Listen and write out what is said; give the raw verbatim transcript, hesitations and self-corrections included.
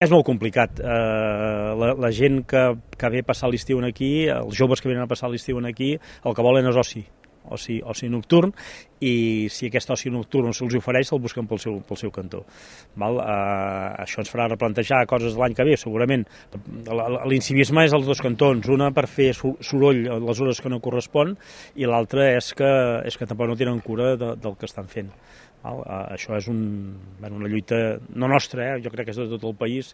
És molt complicat. Uh, la, la gent que, que ve a passar l'estiu aquí, els joves que venen a passar l'estiu aquí, el que volen és oci, oci, oci nocturn, i si aquest oci nocturn se'ls ofereix, se'l busquen pel seu, pel seu cantó. Val? Uh, això ens farà replantejar coses de l'any que ve, segurament. L'incivisme és als dos cantons, una per fer soroll a les hores que no correspon, i l'altra és, que, és que tampoc no tenen cura de, del que estan fent. Val? Uh, això és un, bueno, una lluita, no nostra, eh? Jo crec que és de tot el país,